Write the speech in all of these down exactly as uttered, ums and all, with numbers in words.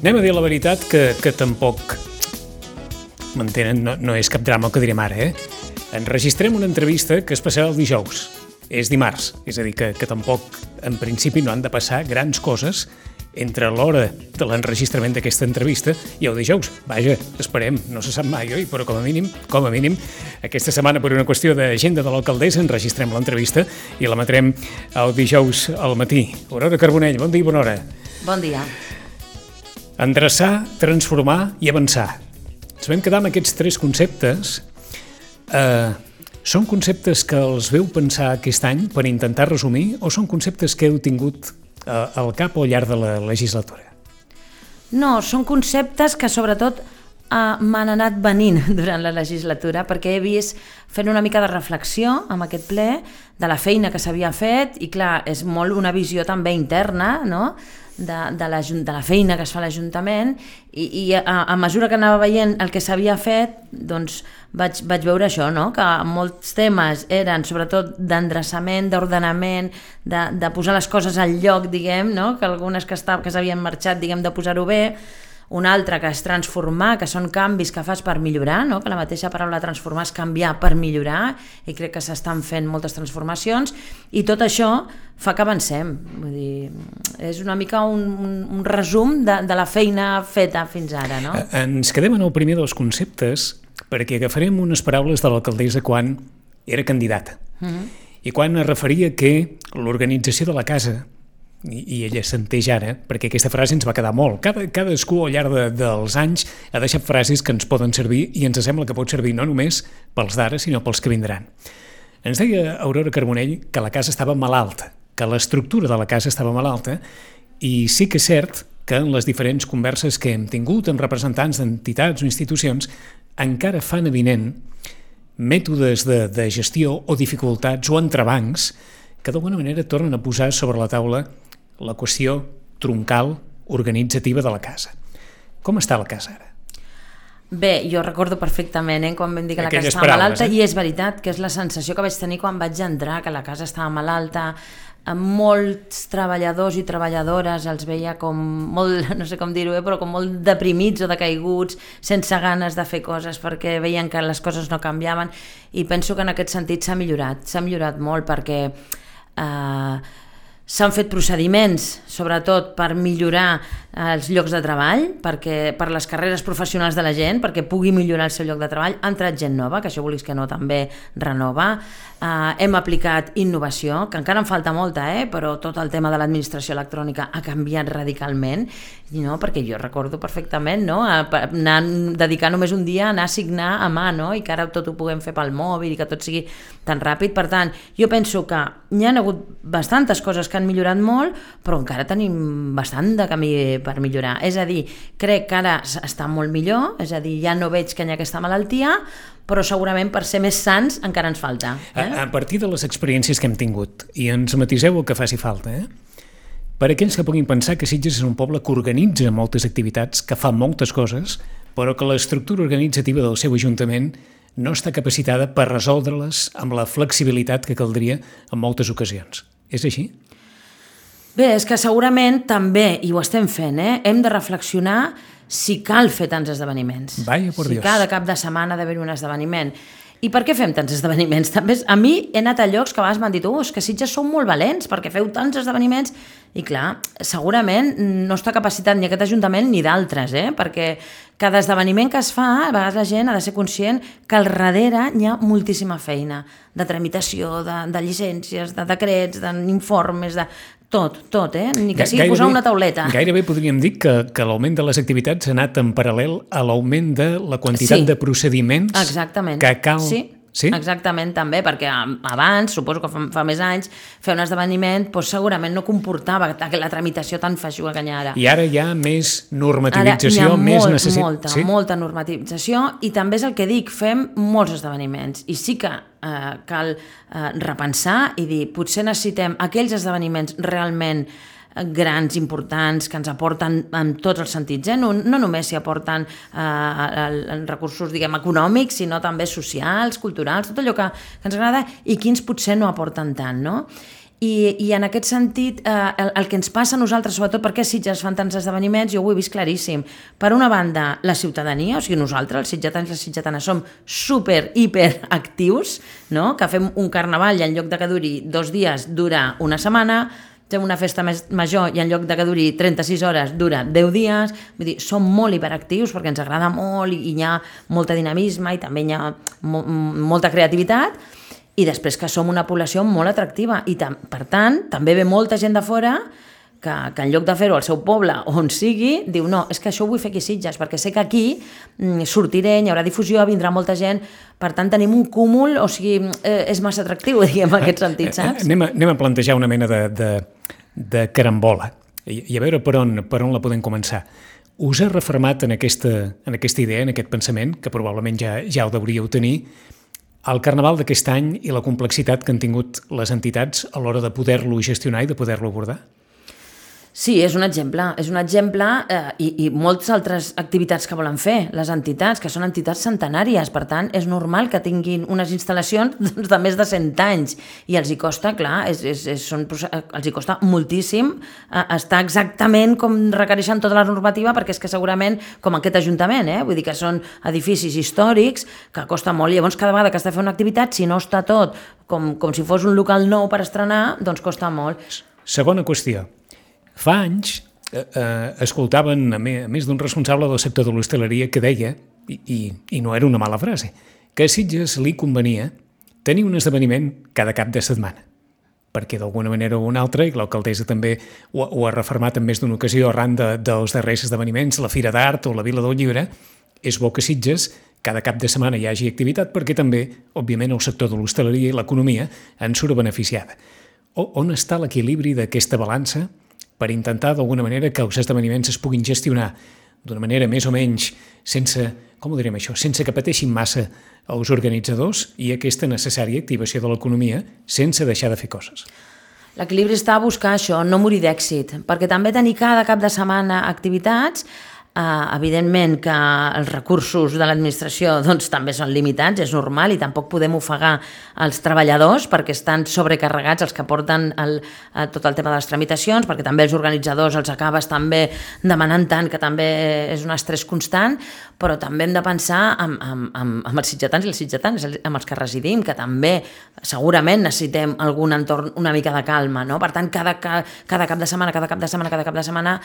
Anem a dir la veritat que, que tampoc, m'entenen, no, no és cap drama el que direm ara, eh? Enregistrem una entrevista que es passarà el dijous. És dimarts, és a dir, que, que tampoc, en principi, no han de passar grans coses entre l'hora de l'enregistrament d'aquesta entrevista i el dijous. Vaja, esperem, no se sap mai, oi? Però com a mínim, com a mínim, aquesta setmana, per una qüestió d'agenda de l'alcaldessa, enregistrem l'entrevista i l'emetrem el dijous al matí. Aurora Carbonell, bon dia i bona hora. Bon dia. Endreçar, transformar i avançar. Ens vam quedar amb aquests tres conceptes. Eh, són conceptes que els veu pensar aquest any per intentar resumir o són conceptes que heu tingut eh, al cap al llarg de la legislatura? No, són conceptes que sobretot eh, m'han anat venint durant la legislatura perquè he vist fent una mica de reflexió amb aquest ple de la feina que s'havia fet i clar, és molt una visió també interna, no?, De, de, la, de la feina que es fa a l'Ajuntament i, i a, a mesura que anava veient el que s'havia fet, doncs vaig, vaig veure això, no? Que molts temes eren sobretot d'endreçament, d'ordenament, de, de posar les coses al lloc, diguem, no? Que algunes que, que s'havien marxat, diguem, de posar-ho bé, un altre que és transformar, que són canvis que fas per millorar, no? Que la mateixa paraula transformar és canviar per millorar i crec que s'estan fent moltes transformacions i tot això fa que avancem. Vull dir, és una mica un, un, un resum de, de la feina feta fins ara, no? Ens quedem en el primer dels conceptes perquè agafarem unes paraules de l'alcaldessa quan era candidata mm-hmm. i quan es referia que l'organització de la casa I, i ella senteix ara, perquè aquesta frase ens va quedar molt. Cada, cadascú al llarg de, dels anys ha deixat frases que ens poden servir i ens sembla que pot servir no només pels d'ara, sinó pels que vindran. Ens deia Aurora Carbonell que la casa estava malalta, que l'estructura de la casa estava malalta i sí que és cert que en les diferents converses que hem tingut amb representants d'entitats o institucions encara fan evident mètodes de, de gestió o dificultats o entrebancs que d'alguna manera tornen a posar sobre la taula la qüestió troncal organitzativa de la casa. Com està la casa ara? Bé, jo recordo perfectament eh, quan vam dir que Aquelles la casa estava paraules, malalta eh? i és veritat que és la sensació que vaig tenir quan vaig entrar, que la casa estava malalta, amb molts treballadors i treballadores els veia com molt, no sé com dir-ho, eh, però com molt deprimits o decaiguts, sense ganes de fer coses perquè veien que les coses no canviaven i penso que en aquest sentit s'ha millorat, s'ha millorat molt perquè eh, s'han fet procediments, sobretot per millorar els llocs de treball, perquè, per les carreres professionals de la gent, perquè pugui millorar el seu lloc de treball. Ha entrat gent nova, que això vulguis que no també renova. Uh, hem aplicat innovació, que encara en falta molta, eh? Però tot el tema de l'administració electrònica ha canviat radicalment, no? Perquè jo recordo perfectament no? a, a anar, dedicar només un dia a anar a signar a mà, no? I que ara tot ho puguem fer pel mòbil i que tot sigui tan ràpid. Per tant, jo penso que hi ha hagut bastantes coses que han millorat molt, però encara tenim bastant de camí per millorar. És a dir, crec que ara està molt millor, és a dir, ja no veig que hi ha aquesta malaltia, però segurament per ser més sants encara ens falta. Eh? A, a partir de les experiències que hem tingut, i ens matiseu el que faci falta, eh? Per aquells que puguin pensar que Sitges és un poble que organitza moltes activitats, que fa moltes coses, però que l'estructura organitzativa del seu ajuntament no està capacitada per resoldre-les amb la flexibilitat que caldria en moltes ocasions. És així? Bé, és que segurament també, i ho estem fent, eh? Hem de reflexionar si cal fer tants esdeveniments. Vaya por si Dios. cada cap de setmana ha d'haver un esdeveniment. I per què fem tants esdeveniments? També, a mi he anat a llocs que abans m'han dit oh, és que Sitges sou molt valents perquè feu tants esdeveniments. I clar, segurament no està capacitat ni aquest Ajuntament ni d'altres, eh? Perquè cada esdeveniment que es fa, a vegades la gent ha de ser conscient que al darrere hi ha moltíssima feina de tramitació, de, de llicències, de decrets, d'informes, de tot, tot, eh? Ni que sigui gairebé, posar una tauleta. Gairebé podríem dir que, que l'augment de les activitats ha anat en paral·lel a l'augment de la quantitat sí. de procediments Exactament. que cal... Sí. Sí? Exactament, també, perquè abans, suposo que fa, fa més anys, fer un esdeveniment doncs, segurament no comportava la tramitació tan feixuga que hi ha ara. I ara hi ha més normativització, ara, més molt, necessitat... Molta, sí? molta normativització i també és el que dic, fem molts esdeveniments i sí que eh, cal eh, repensar i dir, potser necessitem aquells esdeveniments realment grans, importants, que ens aporten en tots els sentits, eh? no, no només s'hi aporten eh, recursos diguem, econòmics, sinó també socials, culturals, tot allò que, que ens agrada i quins potser no aporten tant, no? I, i en aquest sentit, eh, el, el que ens passa a nosaltres, sobretot perquè Sitges fan tants esdeveniments, jo ho he vist claríssim. Per una banda, la ciutadania, o sigui, nosaltres, els sitgetans i les sitgetanes, som super, hiper actius, no? Que fem un carnaval i en lloc de que duri dos dies, dura una setmana, fem una festa més major i en lloc de que duri trenta-sis hores dura deu dies, vull dir, som molt hiperactius perquè ens agrada molt i, i hi ha molta dinamisme i també hi ha mo molta creativitat, i després que som una població molt atractiva i per tant també ve molta gent de fora que, que en lloc de fer-ho al seu poble o on sigui, diu no, és que això ho vull fer aquí a Sitges perquè sé que aquí sortiré, hi haurà difusió, vindrà molta gent, per tant tenim un cúmul, o sigui, eh, és massa atractiu, diguem, en aquest sentit, saps? Anem a, anem a plantejar una mena de, de, de carambola i, i a veure per on, per on la podem començar. Us ha refermat en aquesta, en aquesta idea, en aquest pensament, que probablement ja, ja ho deuríeu tenir, el carnaval d'aquest any i la complexitat que han tingut les entitats a l'hora de poder-lo gestionar i de poder-lo abordar? Sí, és un exemple, és un exemple eh, i, i moltes altres activitats que volen fer les entitats, que són entitats centenàries, per tant, és normal que tinguin unes instal·lacions doncs, de més de cent anys i els hi costa, clar, és, és, és, són, els hi costa moltíssim eh, estar exactament com requereixen tota la normativa, perquè és que segurament, com aquest ajuntament, eh, vull dir que són edificis històrics que costa molt, i llavors cada vegada que has de fer una activitat, si no està tot com, com si fos un local nou per estrenar, doncs costa molt. Segona qüestió. Fa anys eh, eh, escoltaven a més, a més d'un responsable del sector de l'hostaleria que deia, i, i, i no era una mala frase, que a Sitges li convenia tenir un esdeveniment cada cap de setmana, perquè d'alguna manera o una altra, i l'alcaldessa també ho, ho ha refermat en més d'una ocasió arran de, dels darrers esdeveniments, la Fira d'Art o la Vila del Llibre, és bo que Sitges cada cap de setmana hi hagi activitat perquè també, òbviament, el sector de l'hostaleria i l'economia en surt beneficiada. O, on està l'equilibri d'aquesta balança per intentar, d'alguna manera, que els esdeveniments es puguin gestionar d'una manera més o menys sense, com ho direm això, sense que pateixin massa els organitzadors i aquesta necessària activació de l'economia sense deixar de fer coses? L'equilibri està a buscar això, no morir d'èxit, perquè també tenir cada cap de setmana activitats, Uh, evidentment que els recursos de l'administració doncs, també són limitats, és normal, i tampoc podem ofegar els treballadors perquè estan sobrecarregats els que porten el, uh, tot el tema de les tramitacions, perquè també els organitzadors els acabes també demanant tant que també és un estrès constant, però també hem de pensar amb, amb, amb, amb els sitgetans i els sitgetans, amb els que residim, que també segurament necessitem algun entorn una mica de calma, no? Per tant, cada, cada cap de setmana, cada cap de setmana, cada cap de setmana,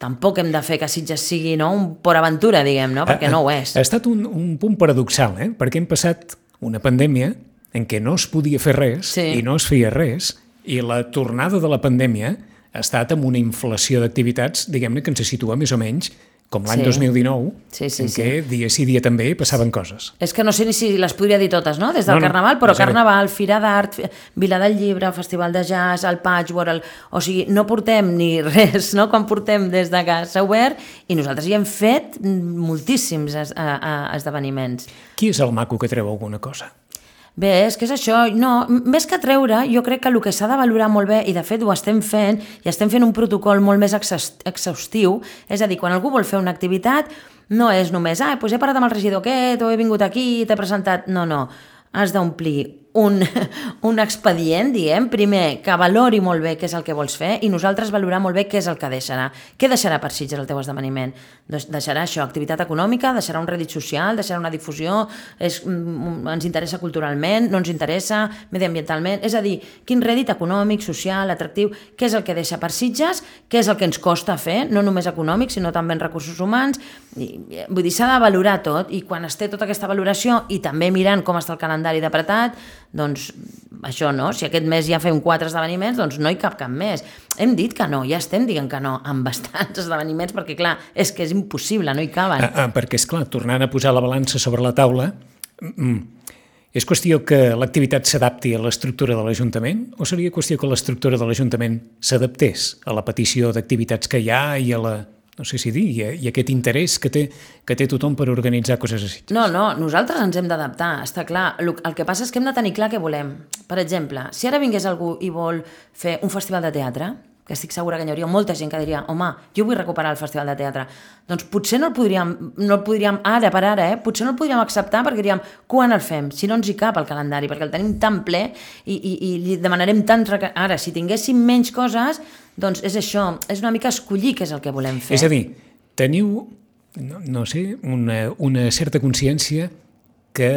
tampoc hem de fer que Sitges sigui, no, un Port Aventura, diguem, no? Perquè no ho és. Ha estat un, un punt paradoxal, eh? Perquè hem passat una pandèmia en què no es podia fer res sí. i no es feia res, i la tornada de la pandèmia ha estat amb una inflació d'activitats, diguem-ne, que ens situa més o menys com l'any sí. dos mil dinou, sí, sí, en què sí. dia sí dia també passaven coses. És que no sé ni si les podria dir totes, no?, des del no, no, Carnaval, però no sé Carnaval, Fira d'Art, Vila del Llibre, Festival de Jazz, el Patchwork, el... o sigui, no portem ni res, no?, quan portem des de que s'ha obert, i nosaltres hi hem fet moltíssims es, a, a esdeveniments. Qui és el maco que treu alguna cosa? Bé, és que és això, no, més que treure, jo crec que el que s'ha de valorar molt bé, i de fet ho estem fent, i estem fent un protocol molt més exhaustiu, és a dir, quan algú vol fer una activitat, no és només, ah, doncs he parlat amb el regidor aquest, o he vingut aquí, t'he presentat, no, no, has d'omplir un, un expedient, diguem, primer, que valori molt bé què és el que vols fer, i nosaltres valorar molt bé què és el que deixarà. Què deixarà per Sitges el teu esdeveniment? Deixarà això, activitat econòmica, deixarà un rèdit social, deixarà una difusió, és, ens interessa culturalment, no ens interessa mediambientalment, és a dir, quin rèdit econòmic, social, atractiu, què és el que deixa per Sitges, què és el que ens costa fer, no només econòmic, sinó també en recursos humans, i, vull dir, s'ha de valorar tot, i quan es té tota aquesta valoració, i també mirant com està el calendari d'apretat, doncs això no, si aquest mes ja fem quatre esdeveniments, doncs no hi cap cap més. Hem dit que no, ja estem dient que no, amb bastants esdeveniments, perquè clar, és que és impossible, no hi caben. Ah, ah, perquè és clar, tornant a posar la balança sobre la taula, mm, és qüestió que l'activitat s'adapti a l'estructura de l'Ajuntament, o seria qüestió que l'estructura de l'Ajuntament s'adaptés a la petició d'activitats que hi ha i a la... no sé si dir, i aquest interès que té, que té tothom per organitzar coses a Sitges. No, no, nosaltres ens hem d'adaptar, està clar. El que passa és que hem de tenir clar què volem. Per exemple, si ara vingués algú i vol fer un festival de teatre, que estic segura que hi hauria molta gent que diria home, jo vull recuperar el Festival de Teatre. Doncs potser no el podríem, no el podríem ara per ara, eh? potser no el podríem acceptar perquè diríem, quan el fem? Si no ens hi cap el calendari, perquè el tenim tan ple i, i, i li demanarem tant... Ara, si tinguéssim menys coses, doncs és això, és una mica escollir què és el que volem fer. És a dir, teniu, no, no sé, una, una certa consciència que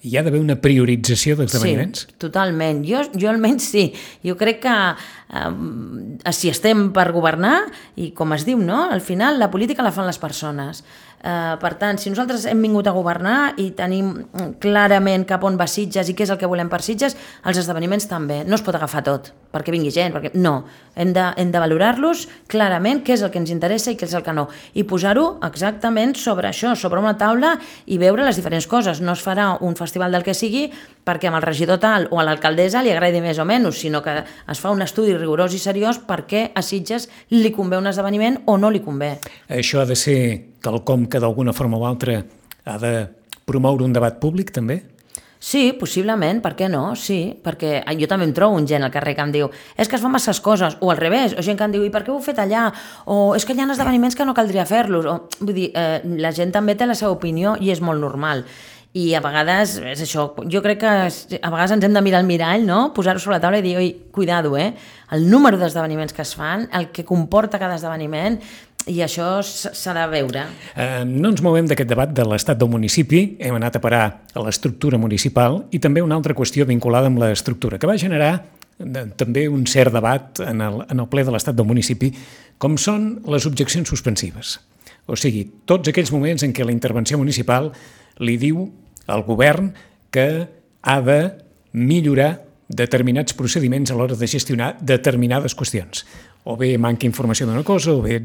hi ha d'haver una priorització d'esdeveniments? Sí, totalment. Jo, jo almenys sí. Jo crec que eh, si estem per governar, i com es diu, no? Al final la política la fan les persones. Eh, per tant, si nosaltres hem vingut a governar i tenim clarament cap on va Sitges i què és el que volem per Sitges, els esdeveniments també. No es pot agafar tot perquè vingui gent, perquè no. Hem de, hem de valorar-los clarament què és el que ens interessa i què és el que no. I posar-ho exactament sobre això, sobre una taula i veure les diferents coses. No es farà un festival del que sigui perquè amb el regidor tal o a l'alcaldessa li agradi més o menys, sinó que es fa un estudi rigorós i seriós perquè a Sitges li convé un esdeveniment o no li convé. Això ha de ser quelcom que d'alguna forma o altra ha de promoure un debat públic, també? Sí, possiblement, per què no? Sí, perquè jo també em trobo un gent al carrer que em diu és que es fan masses coses, o al revés, o gent que em diu i per què ho heu fet allà? O és que hi ha esdeveniments que no caldria fer-los. O, vull dir, eh, la gent també té la seva opinió i és molt normal. I a vegades, és això, jo crec que a vegades ens hem de mirar al mirall, no? Posar-ho sobre la taula i dir, oi, cuidado, eh? El número d'esdeveniments que es fan, el que comporta cada esdeveniment, i això s'ha de veure. Eh, no ens movem d'aquest debat de l'estat del municipi, hem anat a parar a l'estructura municipal i també una altra qüestió vinculada amb l'estructura, que va generar de, també un cert debat en el, en el ple de l'estat del municipi, com són les objeccions suspensives. O sigui, tots aquells moments en què la intervenció municipal li diu al govern que ha de millorar determinats procediments a l'hora de gestionar determinades qüestions. O bé manca informació d'una cosa, o bé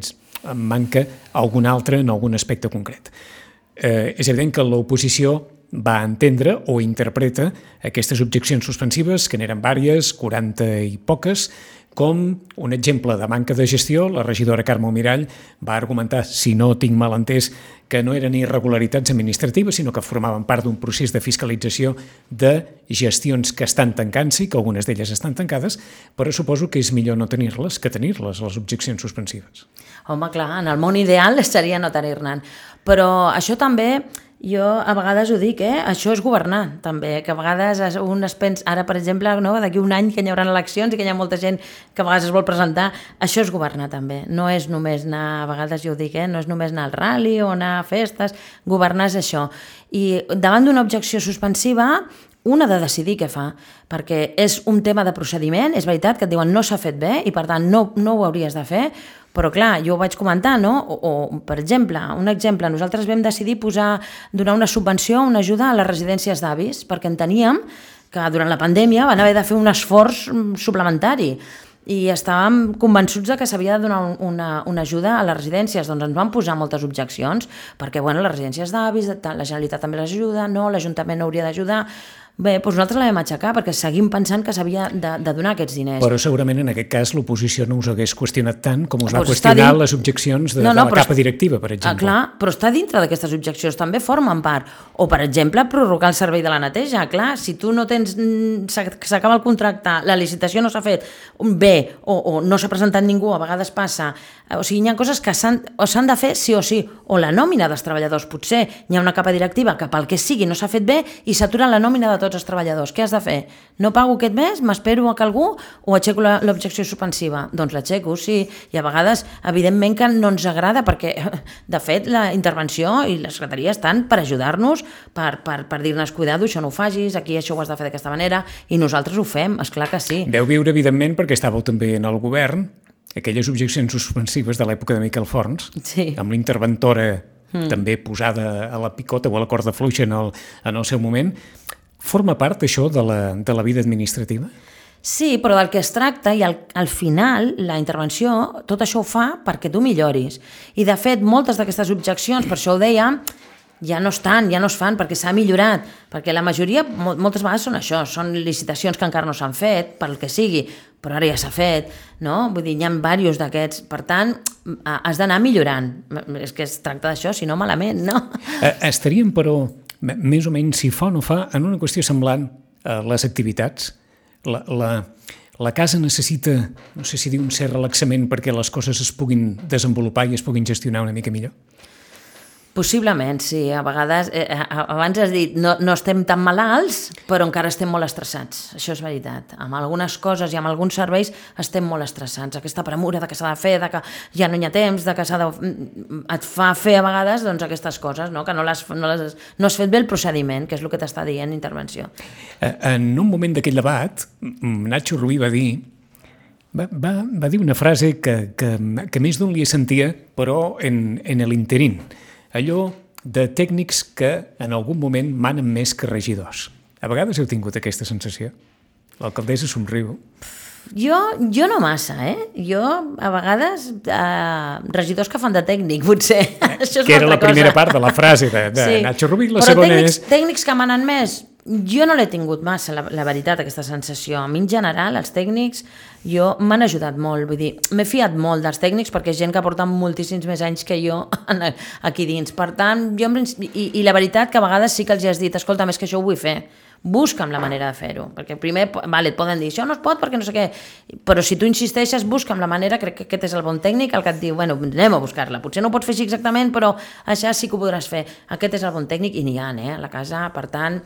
manca alguna altra en algun aspecte concret. Eh, és evident que l'oposició va entendre o interpreta aquestes objeccions suspensives, que n'eren vàries, quaranta i poques, com un exemple de manca de gestió. La regidora Carme Mirall va argumentar, si no tinc mal entès, que no eren irregularitats administratives, sinó que formaven part d'un procés de fiscalització de gestions que estan tancant-se, que algunes d'elles estan tancades, però suposo que és millor no tenir-les que tenir-les, les objeccions suspensives. Home, clar, en el món ideal seria no tenir-ne. Però això també... Jo a vegades ho dic, eh? Això és governar, també, que a vegades un es pensa, ara per exemple, no? D'aquí un any que hi haurà eleccions i que hi ha molta gent que a vegades es vol presentar, això és governar també, no és només anar, a vegades jo ho dic, eh? No és només anar al rally o anar a festes, governar és això. I davant d'una objecció suspensiva, un ha de decidir què fa, perquè és un tema de procediment, és veritat que et diuen no s'ha fet bé i per tant no, no ho hauries de fer, però clar, jo ho vaig comentar, no? O, o per exemple, un exemple, nosaltres vam decidir posar, donar una subvenció, una ajuda a les residències d'avis, perquè enteníem que durant la pandèmia van haver de fer un esforç suplementari i estàvem convençuts de que s'havia de donar una, una ajuda a les residències, doncs ens van posar moltes objeccions, perquè bueno, les residències d'avis, la Generalitat també les ajuda, no, l'Ajuntament no hauria d'ajudar. Bé, doncs nosaltres la vam aixecar perquè seguim pensant que s'havia de, de donar aquests diners. Però segurament en aquest cas l'oposició no us hagués qüestionat tant com us va pues qüestionar din... les objeccions de, no, no, de la capa està... directiva, per exemple. Ah, clar, però està dintre d'aquestes objeccions, també formen part. O, per exemple, prorrogar el servei de la neteja. Clar, si tu no tens... s'acaba el contracte, la licitació no s'ha fet bé, o, o no s'ha presentat ningú, a vegades passa... O sigui, hi ha coses que s'han de fer sí o sí, o la nòmina dels treballadors. Potser hi ha una capa directiva que pel que sigui no s'ha fet bé i s'atura la nòmina de tots els treballadors. Què has de fer? No pago aquest mes? M'espero a que algú o aixeco l'objecció suspensiva? Doncs l'aixeco, sí. I a vegades, evidentment que no ens agrada perquè, de fet, la intervenció i la secretaria estan per ajudar-nos, per, per, per dir-nos, cuidado, això no ho facis, aquí això ho has de fer d'aquesta manera, i nosaltres ho fem, esclar que sí. Veu viure, evidentment, perquè estàveu també en el govern, aquelles objeccions suspensives de l'època de Miquel Forns, sí. Amb l'interventora mm. també posada a la picota o a la corda fluixa en el, en el seu moment. Forma part, això, de la, de la vida administrativa? Sí, però del que es tracta, i al, al final, la intervenció, tot això ho fa perquè tu milloris. I, de fet, moltes d'aquestes objeccions, per això ho deia, ja no estan, ja no es fan, perquè s'ha millorat, perquè la majoria, moltes vegades són això, són licitacions que encara no s'han fet, pel que sigui, però ara ja s'ha fet, no? Vull dir, hi ha diversos d'aquests, per tant, has d'anar millorant. És que es tracta d'això, si no malament, no? Estaríem, però, més o menys, si fa o no fa, en una qüestió semblant a les activitats, la, la, La casa necessita, no sé si dir un cert relaxament perquè les coses es puguin desenvolupar i es puguin gestionar una mica millor? Possiblement, sí. A vegades, eh, abans has dit, no, no estem tan malalts, però encara estem molt estressats. Això és veritat. Amb algunes coses i amb alguns serveis estem molt estressats. Aquesta premura de que s'ha de fer, de que ja no hi ha temps, de que s'ha de... et fa fer a vegades doncs, aquestes coses, no? Que no, les, no, les, no has fet bé el procediment, que és el que t'està dient intervenció. En un moment d'aquell debat, Nacho Rubí va dir Va, va, va dir una frase que, que, que més d'un li sentia, però en, en l'interín. Allò de tècnics que en algun moment manen més que regidors. A vegades heu tingut aquesta sensació? L'alcaldessa somriu. Jo, jo no massa, eh? Jo, a vegades, eh, regidors que fan de tècnic, potser. Eh, Això és que era la cosa. Primera part de la frase de, de sí. Nacho Rubí, la però segona tècnics, és... tècnics que manen més, jo no l'he tingut massa, la, la veritat, aquesta sensació. A mi, en general, els tècnics jo m'han ajudat molt, vull dir, m'he fiat molt dels tècnics perquè és gent que porta moltíssims més anys que jo aquí dins. Per tant, jo, i, i la veritat que a vegades sí que els has dit, escolta, més que això ho vull fer, busca'm la manera de fer-ho, perquè primer, vale, et poden dir, això no es pot perquè no sé què, però si tu insisteixes, busca'm la manera, crec que aquest és el bon tècnic, el que et diu, bueno, anem a buscar-la, potser no ho pots fer així exactament, però això sí que ho podràs fer, aquest és el bon tècnic, i n'hi ha, eh, a la casa, per tant,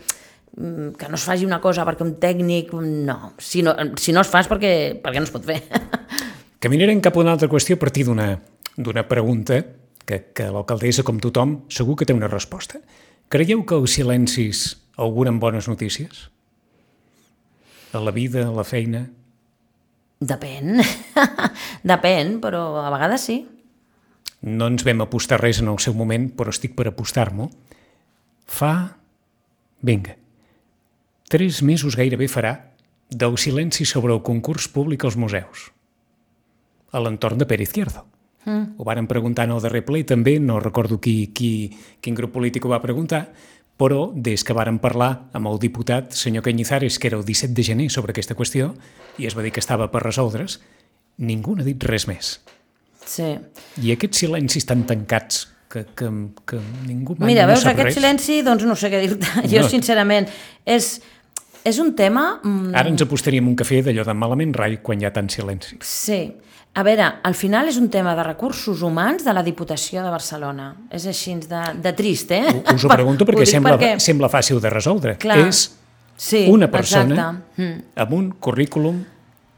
que no es faci una cosa perquè un tècnic, no, si no, si no es fas perquè, perquè no es pot fer. Caminarem cap a una altra qüestió a partir d'una d'una pregunta que, que l'alcaldessa, com tothom, segur que té una resposta. Creieu que els silencis auguren bones notícies? A la vida, a la feina? Depèn. Depèn, però a vegades sí. No ens vam apostar res en el seu moment, però estic per apostar-m'ho. Fa... Vinga. Tres mesos gairebé farà del silenci sobre el concurs públic als museus. A l'entorn de Pere Izquierdo. Mm. Ho varen preguntar en el darrer ple, també, no recordo qui, qui, quin grup polític ho va preguntar, però des que varen parlar amb el diputat senyor Cañizares, que era el disset de gener, sobre aquesta qüestió, i es va dir que estava per resoldre's, ningú n'ha dit res més. Sí. I aquests silencis tan tancats que, que, que ningú mai Mira, no veus, sap aquest res. silenci, doncs no sé què dir-te. Jo, No. sincerament, és, és un tema... mm, Ara ens apostaríem un cafè d'allò de malament rai quan hi ha tant silenci. Sí. A veure, al final és un tema de recursos humans de la Diputació de Barcelona. És així de, de trist, eh? Us ho pregunto perquè, Ho dic sembla, perquè- sembla fàcil de resoldre. Clar. És Sí, una persona exacte. Mm. amb un currículum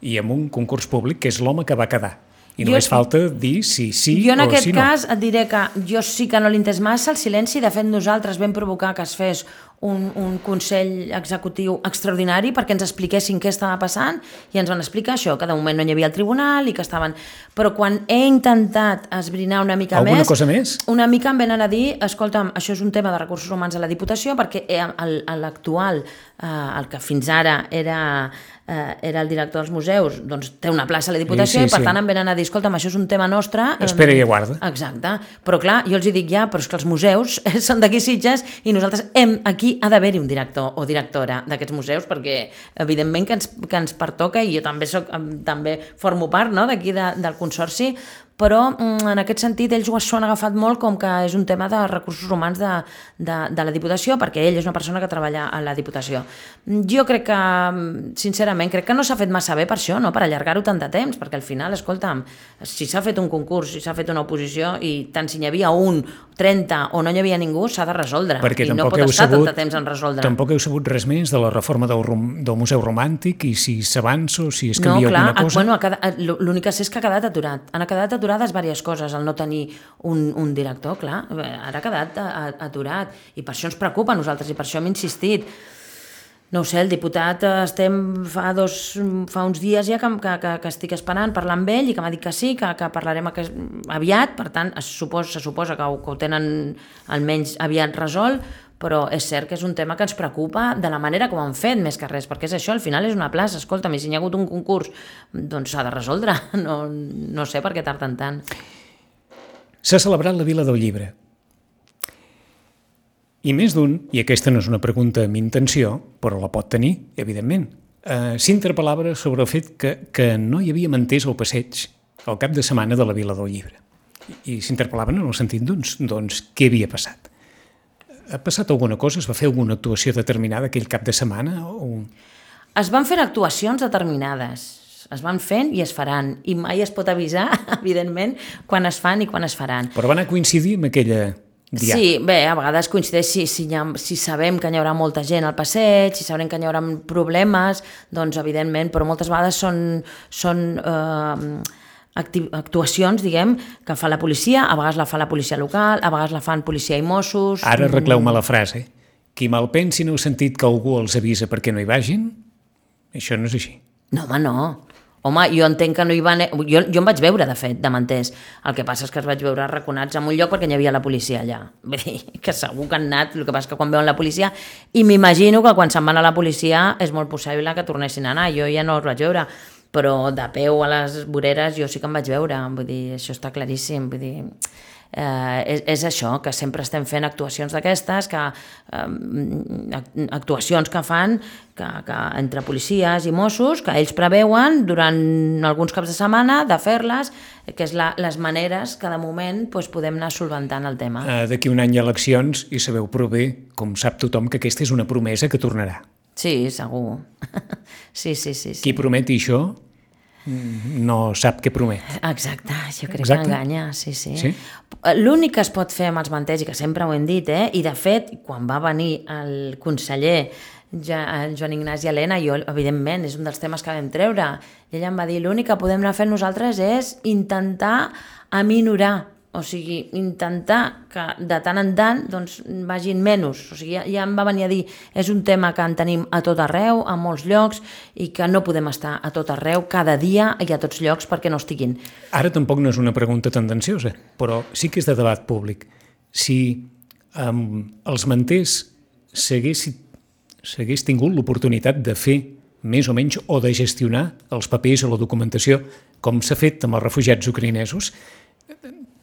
i amb un concurs públic que és l'home que va quedar. I Jo- només falta dir si sí Jo en o aquest si no. cas et diré que jo sí que no l'he entès massa el silenci, de fet nosaltres vam provocar que es fes un, un Consell Executiu extraordinari perquè ens expliquessin què estava passant i ens van explicar això, que de moment no hi havia el tribunal i que estaven... Però quan he intentat esbrinar una mica Alguna més... cosa més? Una mica em venen a dir, escolta'm, això és un tema de recursos humans a la Diputació perquè el- l'actual, eh, el que fins ara era... Eh, era el director dels museus, doncs té una plaça a la Diputació Sí, sí, i per sí. tant em venen a dir, escolta'm, això és un tema nostre... eh, Espera i aguarda. Exacte, però clar, jo els hi dic ja, però és que els museus són d'aquí Sitges i nosaltres hem, aquí ha d'haver-hi un director o directora d'aquests museus perquè evidentment que ens, que ens pertoca i jo també, soc, també formo part, no?, d'aquí de, del consorci, però en aquest sentit ells ho s'ho han agafat molt com que és un tema de recursos humans de, de, de la Diputació perquè ell és una persona que treballa a la Diputació. Jo crec que, sincerament, crec que no s'ha fet massa bé per això, no?, per allargar-ho tant de temps, perquè al final, escolta'm, si s'ha fet un concurs, si s'ha fet una oposició i tant si n'hi havia un, trenta o no hi havia ningú, s'ha de resoldre. Perquè I no tampoc pot heu estar sabut, tant de temps en resoldre. tampoc heu sabut res més de la reforma del, rom, del Museu Romàntic i si s'avança o si es No, canvia clar, alguna cosa. bueno, ha quedat- l'únic que sé és que ha quedat aturat. Han quedat aturades diverses coses, el no tenir un, un director, clar, ara ha quedat a- a- aturat. I per això ens preocupa a nosaltres i per això hem insistit. No ho sé, el diputat eh, estem fa, dos, fa uns dies ja que, que, que, que estic esperant parlar amb ell i que m'ha dit que sí, que, que parlarem aquest, aviat, per tant, es suposa, se suposa que ho, que ho tenen almenys aviat resolt, però és cert que és un tema que ens preocupa de la manera com han fet, més que res, perquè és això, al final és una plaça, escolta'm, i si hi ha hagut un concurs, doncs s'ha de resoldre, no, no sé per què tarden tant. S'ha celebrat la Vila del Llibre. I més d'un, i aquesta no és una pregunta amb intenció, però la pot tenir, evidentment, eh, s'interpel·lava sobre el fet que, que no hi havia manters al passeig al cap de setmana de la Vila del Llibre. I, i s'interpel·laven en el sentit, doncs, doncs, què havia passat? Ha passat alguna cosa? Es va fer alguna actuació determinada aquell cap de setmana? O... Es van fer actuacions determinades, es van fent i es faran, i mai es pot avisar, evidentment, quan es fan i quan es faran. Però va anar a coincidir amb aquella diada. Sí, bé, a vegades coincideix si, si, ha, si sabem que hi haurà molta gent al passeig, si sabem que hi haurà problemes, doncs evidentment, però moltes vegades són, són eh, actuacions, diguem, que fa la policia, a vegades la fa la policia local, a vegades la fan policia i Mossos... Ara arregleu-me la frase. Qui mal pensi no heu sentit que algú els avisa perquè no hi vagin? Això no és així. No, home, no. Home, jo entenc que no hi van... Jo, jo em vaig veure, de fet, de manters. El que passa és que es vaig veure arraconats en un lloc perquè hi havia la policia allà. Vull dir, que segur que han anat, el que passa és que quan veuen la policia... I m'imagino que quan se'n van a la policia és molt possible que tornessin a anar. Jo ja no els vaig veure, però de peu a les voreres jo sí que em vaig veure. Vull dir, això està claríssim. Vull dir... Eh, és, és això, que sempre estem fent actuacions d'aquestes, que eh, actuacions que fan que, que entre policies i Mossos, que ells preveuen durant alguns caps de setmana de fer-les, que és la, les maneres que de moment doncs, podem anar solventant el tema. Uh, D'aquí un any hi ha eleccions i sabeu prou bé, com sap tothom, que aquesta és una promesa que tornarà. Sí, segur. sí, sí, sí, sí. Qui prometi això no sap què promet. Exacte, jo crec Exacte. que enganya, sí, sí. sí? L'únic que es pot fer amb els manters, i que sempre ho hem dit, eh? I de fet, quan va venir el conseller Joan Ignasi Elena, jo, evidentment, és un dels temes que vam treure, i ella em va dir, l'únic que podem anar fent nosaltres és intentar aminorar, o sigui, intentar que de tant en tant doncs, vagin menys. O sigui, ja, ja em va venir a dir, és un tema que en tenim a tot arreu, a molts llocs, i que no podem estar a tot arreu, cada dia i a tots llocs perquè no estiguin. Ara tampoc no és una pregunta tendenciosa, però sí que és de debat públic. Si um, els manters s'hagués tingut l'oportunitat de fer més o menys o de gestionar els papers o la documentació com s'ha fet amb els refugiats ucraïnesos,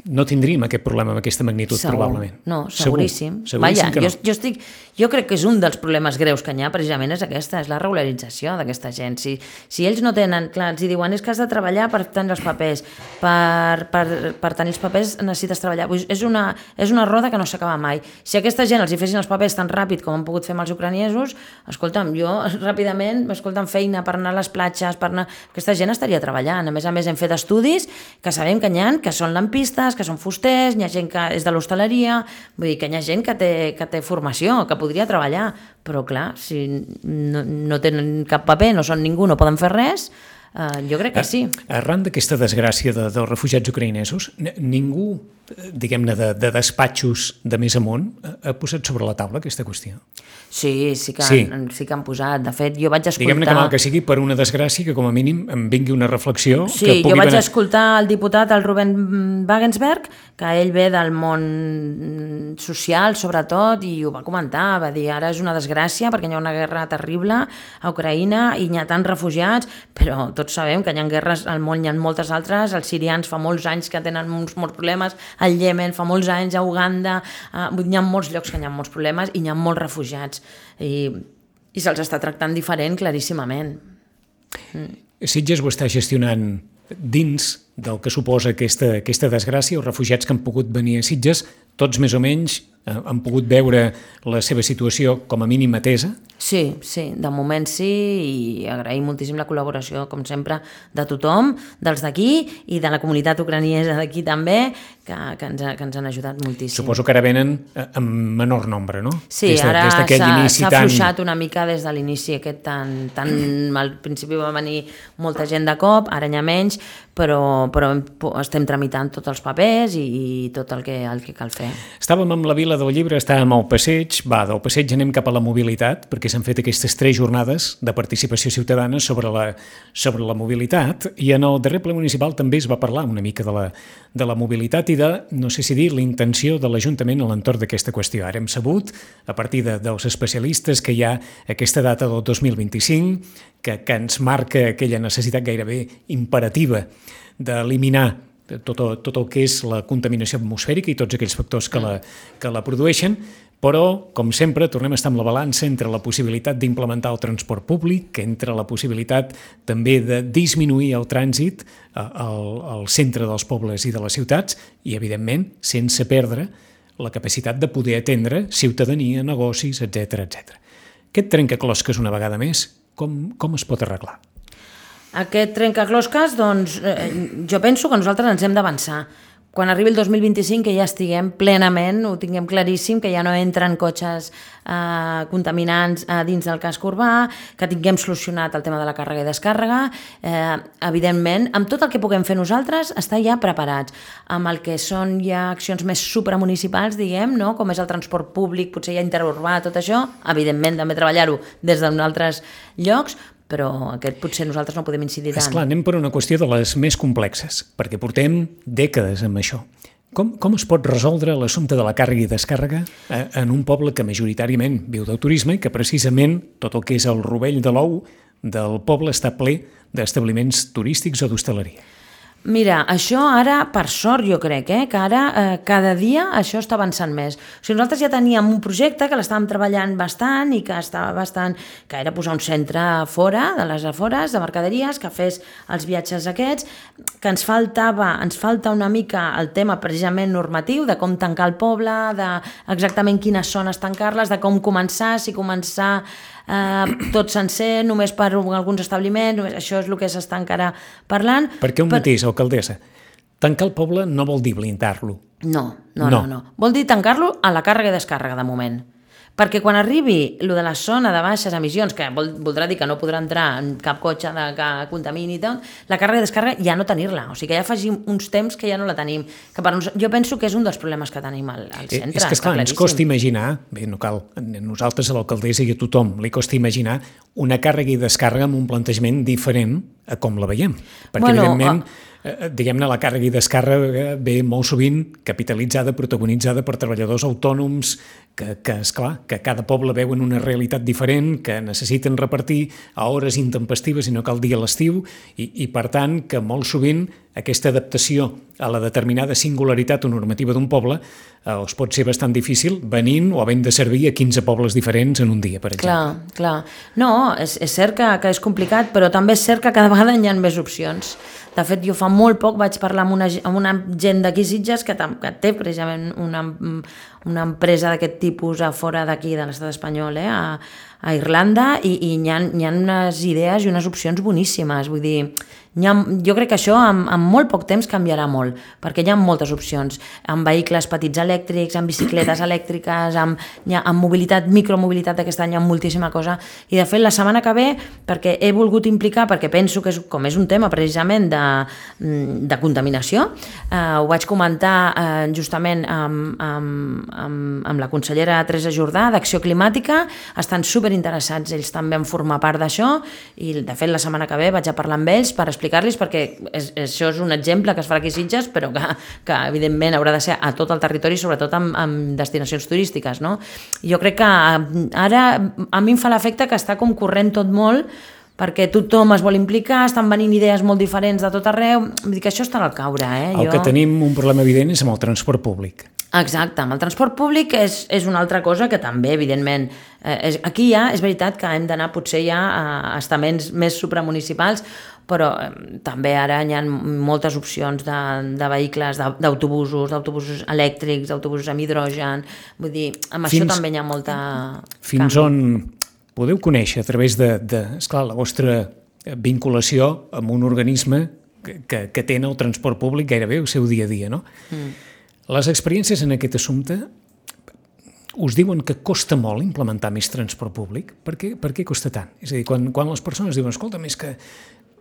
no tindríem aquest problema amb aquesta magnitud, Segur. probablement. No, seguríssim. Segur. Vaja, Seguríssim que no. jo, jo, estic, jo crec que és un dels problemes greus que hi ha, precisament és aquesta, és la regularització d'aquesta gent. Si, si ells no tenen, clar, els diuen és que has de treballar per tenir els papers, per, per, per tenir els papers necessites treballar. Pues és, una, és una roda que no s'acaba mai. Si aquesta gent els hi fessin els papers tan ràpid com han pogut fer amb els ucraïnesos, escolta'm, jo ràpidament, escolta'm, feina per anar a les platges, per anar... Aquesta gent estaria treballant. A més a més, hem fet estudis que sabem que n'hi ha, que són lampistes, que són fusters, hi ha gent que és de l'hostaleria, vull dir que hi ha gent que té, que té formació, que podria treballar, però clar, si no, no tenen cap paper, no són ningú, no poden fer res, eh, jo crec que sí. Arran d'aquesta desgràcia de, dels refugiats ucraïnesos, ningú, diguem-ne, de, de despatxos de més amunt, ha posat sobre la taula aquesta qüestió? Sí, sí que, sí. Han, sí que han posat. De fet, jo vaig escoltar... Diguem-ne que mal que sigui per una desgràcia que com a mínim em vingui una reflexió... Sí, que pugui jo vaig venir... escoltar el diputat, el Ruben Wagensberg, que ell ve del món social, sobretot, i ho va comentar, va dir, ara és una desgràcia perquè hi ha una guerra terrible a Ucraïna i hi ha tants refugiats, però tots sabem que hi ha guerres al món, hi ha moltes altres, els sirians fa molts anys que tenen molts, molts problemes, al Iemen fa molts anys, a Uganda, a... hi ha molts llocs que hi ha molts problemes i hi ha molts refugiats. I, i se'ls està tractant diferent claríssimament. Mm. Sitges ho està gestionant dins del que suposa aquesta, aquesta desgràcia, els refugiats que han pogut venir a Sitges, tots més o menys eh, han pogut veure la seva situació com a mínim atesa? Sí, sí, de moment sí, i agraïm moltíssim la col·laboració, com sempre, de tothom, dels d'aquí i de la comunitat ucraniesa d'aquí també, que, que, ens, que ens han ajudat moltíssim. Suposo que ara venen en menor nombre, no? Sí, des de, ara s'ha tan... afluixat una mica des de l'inici aquest tan, tan... Al principi va venir molta gent de cop, ara n'hi ha menys, però, però estem tramitant tots els papers i, i tot el que, el que cal fer. Estàvem amb la Vila del Llibre, estàvem al passeig, va, del passeig anem cap a la mobilitat, perquè s'han fet aquestes tres jornades de participació ciutadana sobre la, sobre la mobilitat, i en el darrer ple municipal també es va parlar una mica de la, de la mobilitat i de, no sé si dir, la intenció de l'Ajuntament a l'entorn d'aquesta qüestió. Ara hem sabut, a partir de, dels especialistes, que hi ha aquesta data del dos mil vint-i-cinc, que, que ens marca aquella necessitat gairebé imperativa d'eliminar tot, tot el que és la contaminació atmosfèrica i tots aquells factors que la, que la produeixen, però, com sempre, tornem a estar amb la balança entre la possibilitat d'implementar el transport públic, entre la possibilitat també de disminuir el trànsit al, al centre dels pobles i de les ciutats i, evidentment, sense perdre la capacitat de poder atendre ciutadania, negocis, etcètera, etcètera. Aquest trencaclosques una vegada més, com, com es pot arreglar? Aquest trencaclosques, doncs, eh, jo penso que nosaltres ens hem d'avançar. Quan arribi el dos mil vint-i-cinc que ja estiguem plenament, ho tinguem claríssim, que ja no entren cotxes eh, contaminants eh, dins del casc urbà, que tinguem solucionat el tema de la càrrega i descàrrega, eh, evidentment, amb tot el que puguem fer nosaltres, estar ja preparats. Amb el que són ja accions més supramunicipals, diguem, no? Com és el transport públic, potser ja interurbà, tot això, evidentment també treballar-ho des d'altres llocs, però aquest potser nosaltres no podem incidir tant. Esclar, anem per una qüestió de les més complexes, perquè portem dècades amb això. Com, com es pot resoldre l'assumpte de la càrrega i descàrrega en un poble que majoritàriament viu del turisme i que precisament tot el que és el rovell de l'ou del poble està ple d'establiments turístics o d'hostaleria? Mira, això ara, per sort, jo crec, eh, que ara eh, cada dia això està avançant més. O sigui, nosaltres ja teníem un projecte que l'estàvem treballant bastant i que estava bastant, que era posar un centre fora, de les afores, de mercaderies, que fes els viatges aquests, que ens faltava, ens falta una mica el tema precisament normatiu, de com tancar el poble, de exactament quines zones tancar-les, de com començar, si començar eh, tot sencer, només per alguns establiments, només, això és el que s'està encara parlant. Perquè un per... mateix, alcaldessa, tancar el poble no vol dir blindar-lo. No, no, no, no, no. Vol dir tancar-lo a la càrrega i descàrrega, de moment. Perquè quan arribi lo de la zona de baixes emissions, que vol, voldrà dir que no podrà entrar en cap cotxe de, que contamini i tot, la càrrega i descàrrega ja no tenir-la. O sigui que ja afegim uns temps que ja no la tenim. Que per nos... Jo penso que és un dels problemes que tenim al, al centre. És que, esclar, ens costa imaginar, bé, no cal, a nosaltres, a l'alcaldessa i a tothom, li costa imaginar una càrrega i descàrrega amb un plantejament diferent a com la veiem. Perquè, bueno, evidentment, a... diguem-ne, la càrrega i descàrrega ve molt sovint capitalitzada, protagonitzada per treballadors autònoms que, que esclar, que cada poble veuen una realitat diferent, que necessiten repartir a hores intempestives i no cal dir a l'estiu, i, i per tant que molt sovint aquesta adaptació a la determinada singularitat o normativa d'un poble eh, els pot ser bastant difícil venint o havent de servir a quinze pobles diferents en un dia, per exemple. Clar, clar. No, és, és cert que, que és complicat, però també és cert que cada vegada hi ha més opcions. De fet, jo fa molt poc vaig parlar amb una, amb una gent d'aquí Sitges que, que té precisament una, una empresa d'aquest tipus a fora d'aquí, de l'estat espanyol, eh, a, a Irlanda, i, i hi ha, hi ha unes idees i unes opcions boníssimes. Vull dir, hi ha, jo crec que això en, en molt poc temps canviarà molt, perquè hi ha moltes opcions, amb vehicles petits elèctrics, amb bicicletes elèctriques, amb, ha, amb mobilitat, micromobilitat, aquest any hi ha moltíssima cosa, i de fet la setmana que ve, perquè he volgut implicar, perquè penso que és, com és un tema precisament de, de contaminació, eh, ho vaig comentar eh, justament amb, amb, amb, amb la consellera Teresa Jordà d'Acció Climàtica, estan superinteressats ells també en formar part d'això, i de fet la setmana que ve vaig a parlar amb ells per explicar-los, perquè és, això és un exemple que es farà aquí a Sitges, però que, que evidentment haurà de ser a tot el territori, sobretot amb, amb destinacions turístiques, no? Jo crec que ara a mi em fa l'efecte que està com corrent tot molt, perquè tothom es vol implicar, estan venint idees molt diferents de tot arreu, vull dir que això està al caure. Eh? El jo... que tenim un problema evident és amb el transport públic. Exacte, amb el transport públic és, és una altra cosa que també, evidentment, eh, és, aquí ja és veritat que hem d'anar potser ja a estaments més supramunicipals, però eh, també ara hi ha moltes opcions de, de vehicles, d'autobusos, d'autobusos elèctrics, d'autobusos amb hidrogen, vull dir, amb fins, això també hi ha molta... Fins canvi. On podeu conèixer a través de, de esclar, la vostra vinculació amb un organisme que, que, que té el transport públic gairebé el seu dia a dia, no? Mm. Les experiències en aquest assumpte us diuen que costa molt implementar més transport públic? Per què, per què costa tant? És a dir, quan, quan les persones diuen, escolta, més que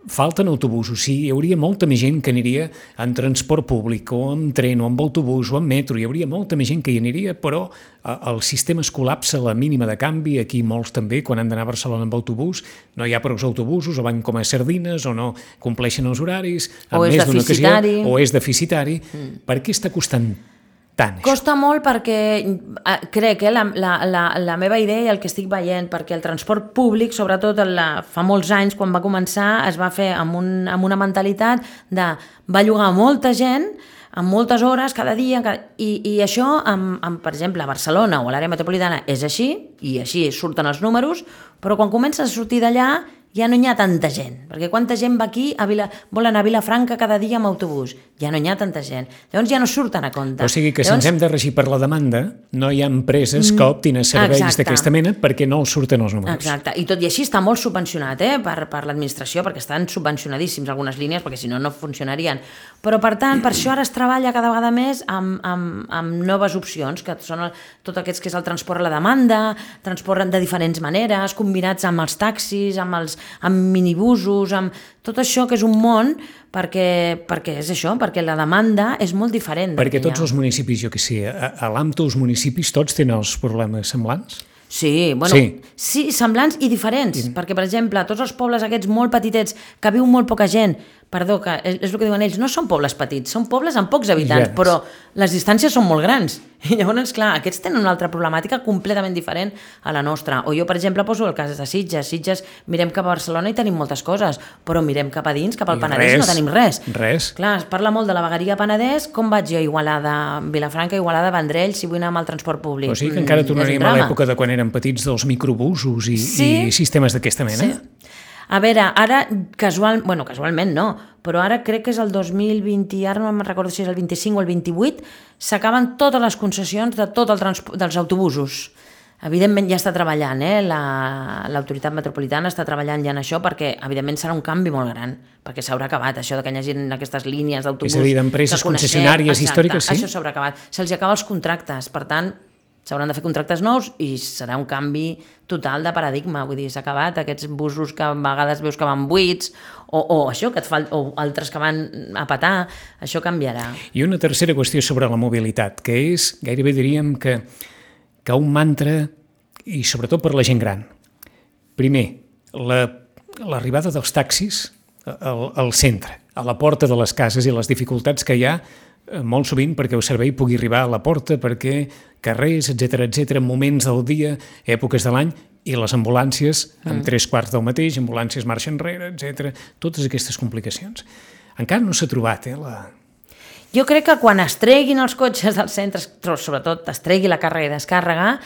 falten autobusos, sí, hi hauria molta més gent que aniria en transport públic, o en tren, o amb autobús, o en metro, hi hauria molta més gent que hi aniria, però el sistema es col·lapsa a la mínima de canvi, aquí molts també, quan han d'anar a Barcelona amb autobús, no hi ha prou autobusos, o van com a sardines, o no compleixen els horaris, o és deficitari. O és deficitari. Mm. Per què està costant tant, això? Costa molt perquè, crec, eh, la, la, la, la meva idea i el que estic veient, perquè el transport públic, sobretot la, fa molts anys, quan va començar, es va fer amb, un, amb una mentalitat de va llogar molta gent, amb moltes hores cada dia, cada... I, i això, amb, amb, per exemple, a Barcelona o a l'àrea metropolitana és així, i així surten els números, però quan comences a sortir d'allà ja no hi ha tanta gent, perquè quanta gent va aquí, a Vila, vol anar a Vilafranca cada dia amb autobús, ja no hi ha tanta gent, llavors ja no surten a compte. O sigui que si llavors... ens hem de regir per la demanda, no hi ha empreses que optin a serveis d'aquesta mena perquè no els surten els números. Exacte, i tot i així està molt subvencionat eh, per, per l'administració, perquè estan subvencionadíssims algunes línies, perquè si no, no funcionarien. Però, per tant, per això ara es treballa cada vegada més amb, amb, amb noves opcions, que són el, tot aquests que és el transport a la demanda, transport de diferents maneres, combinats amb els taxis, amb els amb minibusos, amb tot això que és un món, perquè, perquè és això, perquè la demanda és molt diferent. Perquè tots els municipis, jo que sé, a, a l'A M T O els municipis tots tenen els problemes semblants? Sí, bueno, sí. sí, semblants i diferents, mm. perquè, per exemple, tots els pobles aquests molt petitets, que viu molt poca gent, perdó, que és, és el que diuen ells, no són pobles petits, són pobles amb pocs habitants, yes. però les distàncies són molt grans. I llavors, clar, aquests tenen una altra problemàtica completament diferent a la nostra. O jo, per exemple, poso el cas de Sitges. Sitges, mirem cap a Barcelona i tenim moltes coses, però mirem cap a dins, cap al I Penedès, res, no tenim res. Res. Clar, es parla molt de la vegueria Penedès, com vaig jo a Igualada, Vilafranca, Igualada, Vendrell, si vull anar amb el transport públic? O sigui que encara tornaríem a l'època de quan érem petits dels microbusos i, sí. i sistemes d'aquesta mena? Sí. A veure, ara casual, bueno, casualment no, però ara crec que és el dos mil vint, ara no me'n recordo si és el vint-i-cinc o el vint-i-vuit, s'acaben totes les concessions de tot el transport dels autobusos. Evidentment ja està treballant, eh? l'autoritat metropolitana està treballant ja en això perquè evidentment serà un canvi molt gran, perquè s'haurà acabat això de que hi hagi aquestes línies d'autobús. És a dir, d'empreses concessionàries històriques, sí? Això s'haurà acabat. Se'ls acaben els contractes, per tant, s'hauran de fer contractes nous i serà un canvi total de paradigma, vull dir, s'ha acabat aquests busos que a vegades veus que van buits o, o això, que et fa, o altres que van a petar, això canviarà. I una tercera qüestió sobre la mobilitat, que és, gairebé diríem que, que un mantra, i sobretot per la gent gran. Primer, l'arribada la, dels taxis al, al centre, a la porta de les cases i les dificultats que hi ha molt sovint perquè el servei pugui arribar a la porta, perquè carrers, etcètera, etcètera, moments del dia, èpoques de l'any, i les ambulàncies, mm. amb tres quarts del mateix, ambulàncies marxa enrere, etcètera, totes aquestes complicacions. Encara no s'ha trobat, eh, la... Jo crec que quan es treguin els cotxes dels centres, sobretot es tregui la càrrega i descàrrega,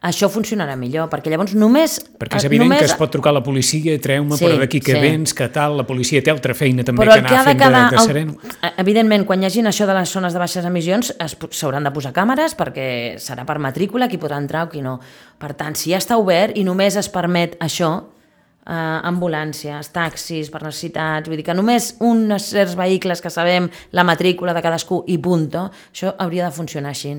això funcionarà millor, perquè llavors només... Perquè és evident només... que es pot trucar a la policia, treu-me, sí, però d'aquí que sí. vens, que tal, la policia té altra feina també però que anar fent de, de sereno. El... Evidentment, quan hi hagin això de les zones de baixes emissions, s'hauran de posar càmeres perquè serà per matrícula qui podrà entrar o qui no. Per tant, si ja està obert i només es permet això, eh, ambulàncies, taxis, per necessitats, vull dir que només uns certs vehicles que sabem la matrícula de cadascú i punto, això hauria de funcionar així.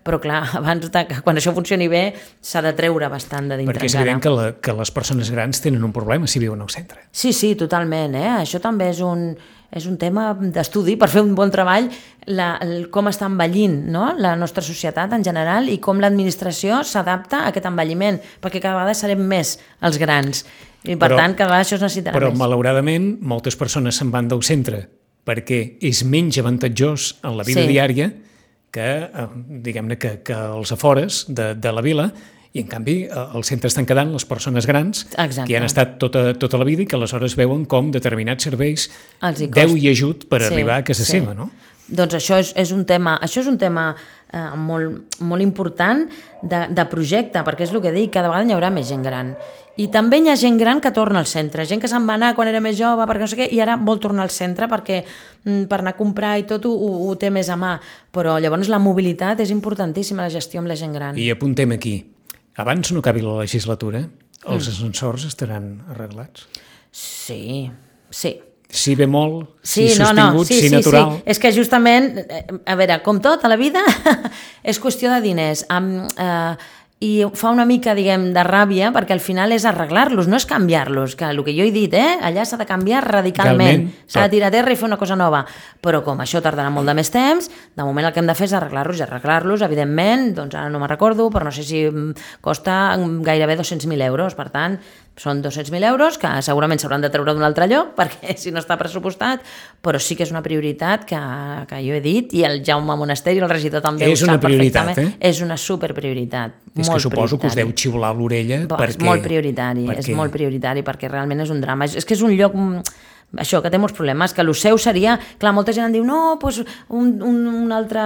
Però clar, abans de, quan això funcioni bé s'ha de treure bastant de dintre. Perquè és evident que, la, que les persones grans tenen un problema si viuen al centre. Sí, sí, totalment. Eh? Això també és un, és un tema d'estudi per fer un bon treball, la, el, com està envellint, no? La nostra societat en general i com l'administració s'adapta a aquest envelliment, perquè cada vegada serem més els grans. I per però, tant, cada vegada això es necessitarà però, més. Però, malauradament, moltes persones se'n van del centre perquè és menys avantatjós en la vida sí. diària que, diguem-ne, que, que els afores de, de la vila, i en canvi al centre estan quedant les persones grans Exacte. que hi han estat tota, tota la vida i que aleshores veuen com determinats serveis deu i ajut per sí, arribar a casa sí. seva, no? Doncs això és, és un tema, això és un tema eh, molt, molt important de, de projecte, perquè és el que dic, cada vegada hi haurà més gent gran. I també hi ha gent gran que torna al centre, gent que se'n va anar quan era més jove, perquè no sé què, i ara vol tornar al centre perquè per anar a comprar i tot ho, ho té més a mà. Però llavors la mobilitat és importantíssima, la gestió amb la gent gran. I apuntem aquí, abans no acabi la legislatura, els mm. ascensors estaran arreglats? Sí, sí. Si ve molt, sí, si no, sostingut, no, sí, si sí, natural... Sí. És que justament, a veure, com tot a la vida, és qüestió de diners. Amb, eh, I fa una mica, diguem, de ràbia, perquè al final és arreglar-los, no és canviar-los, que el que jo he dit, eh, allà s'ha de canviar radicalment, s'ha de tirar a terra i fer una cosa nova. Però com això tardarà molt de més temps, de moment el que hem de fer és arreglar-los i arreglar-los, evidentment, doncs ara no me'n recordo, però no sé si costa gairebé dos-cents mil euros, per tant, són dos-cents mil euros que segurament s'hauran de treure d'un altre lloc perquè si no està pressupostat, però sí que és una prioritat que, que jo he dit i el Jaume Monasteri, el regidor també és ho sap perfectament. Eh? És una superprioritat. És que suposo que us deu xiular l'orella Bo, perquè... És molt prioritari, perquè... és molt prioritari perquè realment és un drama. És, és que és un lloc això, que té molts problemes, que el seu seria, clar, molta gent em diu, no, doncs un, un, un altre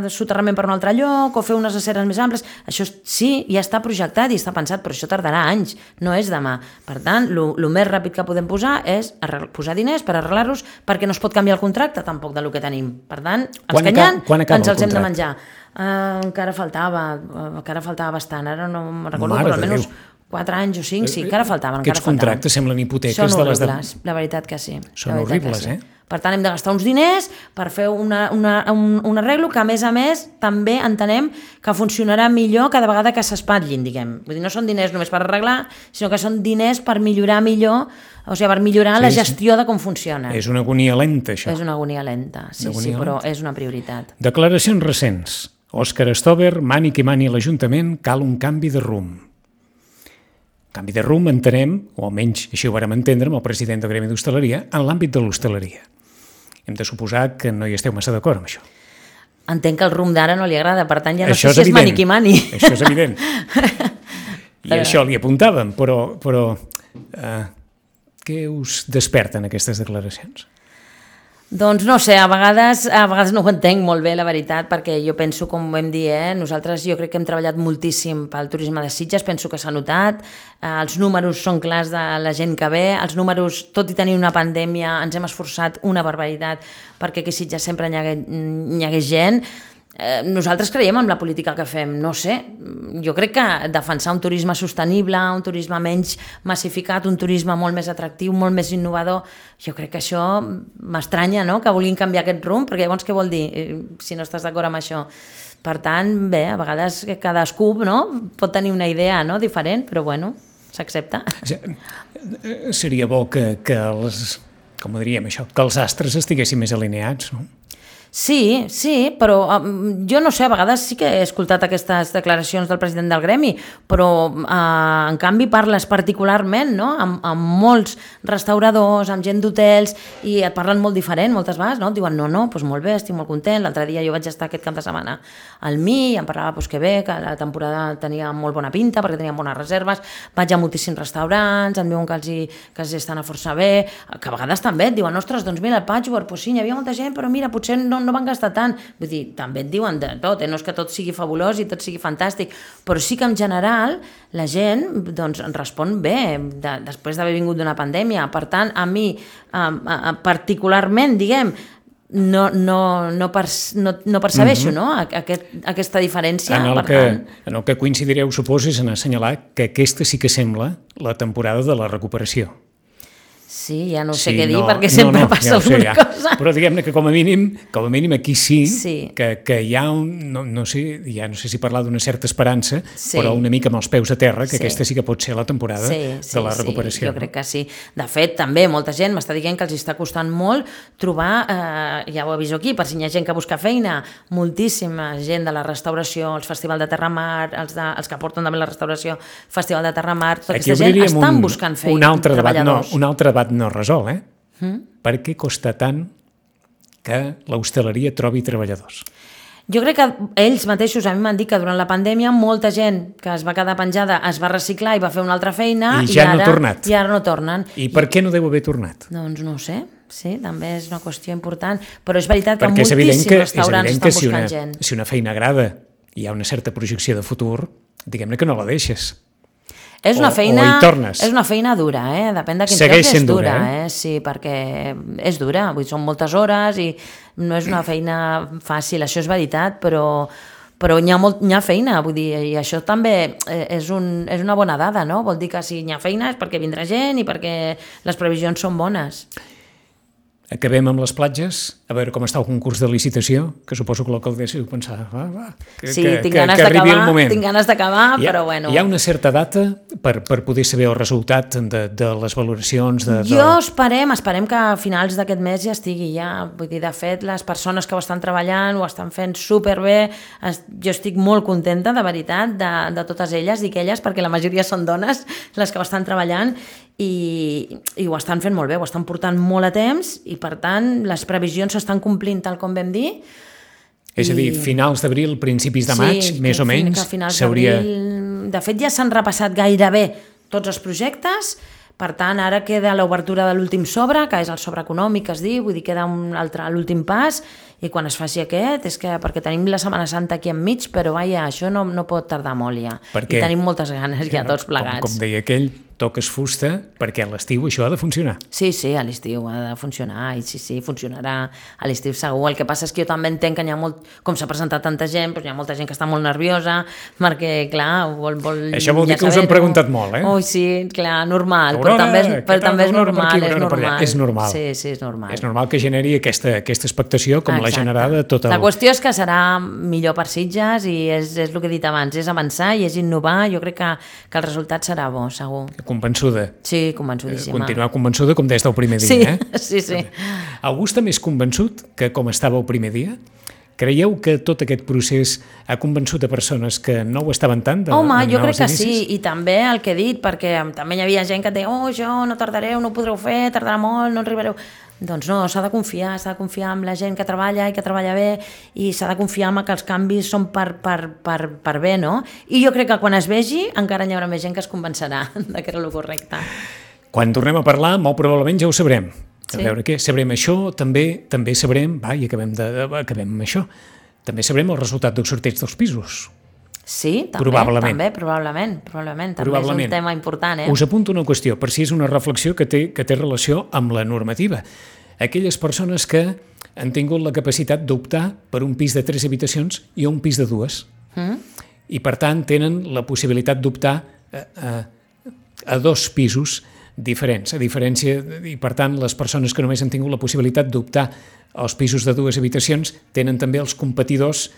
soterrament per un altre lloc, o fer unes aceres més amples, això sí, ja està projectat i està pensat, però això tardarà anys, no és demà. Per tant, el més ràpid que podem posar és posar diners per arreglar-los, perquè no es pot canviar el contracte tampoc del que tenim. Per tant, els que hi ha, ens els hem de menjar. Uh, encara faltava, uh, encara faltava bastant, ara no me'n recordo, Mare però almenys quatre anys o cinc, sí, encara faltaven. Aquests encara contractes faltaven. Semblen hipoteques. Són de les horribles, de... la veritat que sí. Són horribles, sí. eh? Per tant, hem de gastar uns diners per fer una, una, un, un arreglo que, a més a més, també entenem que funcionarà millor cada vegada que s'espatlin, diguem. Vull dir, no són diners només per arreglar, sinó que són diners per millorar millor, o sigui, per millorar sí, la gestió sí. de com funciona. És una agonia lenta, això. És una agonia lenta, sí, agonia sí, però lenta. És una prioritat. Declaracions recents. Òscar Stover, mani qui mani l'Ajuntament, cal un canvi de rumb. Canvi de rumb entenem, o almenys així ho vàrem entendre amb el president del Gremi d'Hostaleria, en l'àmbit de l'hostaleria. Hem de suposar que no hi esteu massa d'acord amb això. Entenc que el rumb d'ara no li agrada, per tant ja no això sé si és és mani qui mani. Això és evident. I però... això li apuntàvem, però, però eh, què us desperten aquestes declaracions? Doncs no sé, a vegades, a vegades no ho entenc molt bé, la veritat, perquè jo penso, com vam dir, eh, nosaltres jo crec que hem treballat moltíssim pel turisme de Sitges, penso que s'ha notat, eh, els números són clars de la gent que ve, els números, tot i tenir una pandèmia, ens hem esforçat una barbaritat perquè aquí a Sitges sempre n'hi hagués, n'hi hagués gent. Eh, nosaltres creiem en la política que fem, no sé, jo crec que defensar un turisme sostenible, un turisme menys massificat, un turisme molt més atractiu, molt més innovador, jo crec que això m'estranya, no?, que vulguin canviar aquest rumb, perquè llavors què vol dir, si no estàs d'acord amb això? Per tant, bé, a vegades cadascú, no?, pot tenir una idea, no?, diferent, però bueno, s'accepta. Seria bo que, que els, com ho diríem això, que els astres estiguessin més alineats, no? Sí, sí, però um, jo no sé, a vegades sí que he escoltat aquestes declaracions del president del Gremi, però uh, en canvi parles particularment, no?, amb, amb molts restauradors, amb gent d'hotels, i et parlen molt diferent moltes vegades, no? Et diuen, no, no, doncs molt bé, estic molt content, l'altre dia jo vaig estar aquest cap de setmana al M I, i em parlava doncs, que bé, que la temporada tenia molt bona pinta, perquè tenien bones reserves, vaig a moltíssims restaurants, em diuen que els, hi, que els estan a força bé, que a vegades també et diuen, ostres, doncs mira, el Patchwork, doncs sí, hi havia molta gent, però mira, potser no no van gastar tant, vull dir, també et diuen de tot, eh? No és que tot sigui fabulós i tot sigui fantàstic, però sí que en general la gent doncs, respon bé de, després d'haver vingut d'una pandèmia. Per tant, a mi eh, particularment, diguem, no, no, no, per, no, no percebeixo, mm-hmm. no? Aquest, aquesta diferència. En el, per que, tant... en el que coincidireu, suposo, és en assenyalar que aquesta sí que sembla la temporada de la recuperació. Sí, ja no sé sí, què dir, no, perquè sempre no, no, passa ja alguna sé, ja. cosa. Però diguem-ne que com a mínim, com a mínim aquí sí, sí. Que, que hi ha un, no, no sé, ja no sé si parlar d'una certa esperança, sí. però una mica amb els peus a terra, que sí. aquesta sí que pot ser la temporada sí, sí, de la recuperació. Sí, jo crec que sí. De fet, també molta gent m'està dient que els està costant molt trobar, eh, ja ho aviso aquí, per si hi ha gent que busca feina, moltíssima gent de la restauració, els Festival de Terramar, els, de, els que porten també la restauració, Festival de Terramar, tota aquí aquesta gent estan un, buscant feina, un altre treballadors. Debat no, un altre debat no resol, eh? Mm? Per què costa tant que l'hostaleria trobi treballadors? Jo crec que ells mateixos a mi m'han dit que durant la pandèmia molta gent que es va quedar penjada es va reciclar i va fer una altra feina i, ja i, ara, no tornat. i ara no tornen. I per què no deu haver tornat? Doncs no ho sé, sí, també és una qüestió important, però és veritat que perquè moltíssims que, restaurants estan si buscant una, gent. Si una feina agrada i hi ha una certa projecció de futur, diguem-ne que no la deixes. És una, o, feina, o hi tornes. És una feina dura, eh? Depèn de quin Segueix lloc és dura, dura eh? eh? Sí, perquè és dura, vull dir, són moltes hores i no és una feina fàcil, això és veritat, però, però hi ha, molt, hi ha feina, vull dir, i això també és, un, és una bona dada, no? Vol dir que si hi ha feina és perquè vindrà gent i perquè les previsions són bones. Acabem amb les platges, a veure com està el concurs de licitació, que suposo que l'alcaldessa ho pensava, va, va, que, sí, que, tinc que, ganes que arribi el moment. Tinc ganes d'acabar, però bueno. Hi ha una certa data per, per poder saber el resultat de, de les valoracions? De, de... Jo esperem, esperem que a finals d'aquest mes ja estigui ja, vull dir, de fet, les persones que ho estan treballant ho estan fent superbé, jo estic molt contenta, de veritat, de, de totes elles, dic elles, perquè la majoria són dones les que ho estan treballant, i, i ho estan fent molt bé, ho estan portant molt a temps i per tant les previsions s'estan complint tal com vam dir. És a dir, finals d'abril, principis de maig, sí, més o menys, que a finals s'hauria... d'abril... De fet ja s'han repassat gairebé tots els projectes, Per tant, ara queda l'obertura de l'últim sobre, que és el sobre econòmic, que es diu, vull dir, queda un altre, l'últim pas, i quan es faci aquest, és que perquè tenim la Setmana Santa aquí enmig, però vaja, això no, no pot tardar molt ja. Perquè, I tenim moltes ganes ja tots plegats. Com, com deia aquell, toques fusta, perquè a l'estiu això ha de funcionar. Sí, sí, a l'estiu ha de funcionar, i sí, sí, funcionarà a l'estiu segur. El que passa és que jo també entenc que hi ha molt, com s'ha presentat tanta gent, doncs hi ha molta gent que està molt nerviosa, perquè, clar, vol... vol això vol dir ja que us han preguntat molt, eh? Ui, sí, clar, normal, Aurora, però també és, però també és normal, aquí, és normal. És normal. Sí, sí, és normal. És normal que generi aquesta, aquesta expectació, com Exacte. la generada tot el... La qüestió és que serà millor per Sitges i és, és el que he dit abans, és avançar i és innovar, jo crec que, que el resultat serà bo, segur. Convençuda. Sí, convençudíssima. Continuar convençuda com des del primer dia, sí, eh? Sí, sí. Algú està més convençut que com estava el primer dia? Creieu que tot aquest procés ha convençut a persones que no ho estaven tant? De, Home, de jo crec que inicis? sí, i també el que he dit, perquè també hi havia gent que et deia oh, això no tardareu, no ho podreu fer, tardarà molt, no arribareu... Doncs no, s'ha de confiar, s'ha de confiar en la gent que treballa i que treballa bé i s'ha de confiar en que els canvis són per, per, per, per bé, no? I jo crec que quan es vegi encara hi haurà més gent que es convencerà de que era el correcte. Quan tornem a parlar, molt probablement ja ho sabrem. A Sí. veure què, sabrem això, també també sabrem, va, i acabem, de, acabem amb això, també sabrem el resultat del sorteig dels pisos. Sí, també, Probablement. també, probablement, probablement, també Probablement. és un tema important, eh? Us apunto una qüestió, per si és una reflexió que té, que té relació amb la normativa. Aquelles persones que han tingut la capacitat d'optar per un pis de tres habitacions i un pis de dues. Mm? I, per tant, tenen la possibilitat d'optar a, a, a dos pisos diferents. A diferència, i, per tant, les persones que només han tingut la possibilitat d'optar als pisos de dues habitacions tenen també els competidors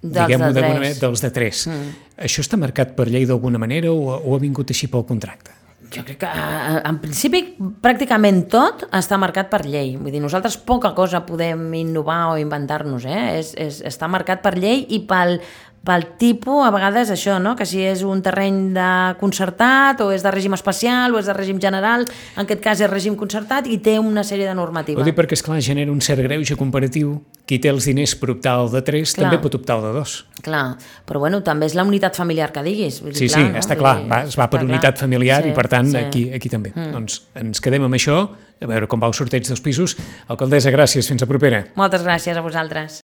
Dels diguem-ho de d'alguna tres. manera, dels de tres. Mm. Això està marcat per llei d'alguna manera o, o ha vingut així pel contracte? Jo crec que, eh, en principi, pràcticament tot està marcat per llei. Vull dir, nosaltres poca cosa podem innovar o inventar-nos, eh? És, és, està marcat per llei i pel, pel tipus, a vegades, això, no? Que si és un terreny de concertat o és de règim especial o és de règim general, en aquest cas és règim concertat i té una sèrie de normativa. Ho dic perquè, esclar, genera un cert greuge comparatiu. Qui té els diners per optar al de tres Clar. també pot optar al de dos. Clar, però bueno, també és la unitat familiar que diguis. Vull dir, Sí, clar, sí, no? està Vull clar, dir, va, es va per està unitat clar. familiar Sí, i per tant sí. aquí, aquí també. Mm. Doncs ens quedem amb això, a veure com va el sorteig dels pisos. Alcaldessa, gràcies, fins a propera. Moltes gràcies a vosaltres.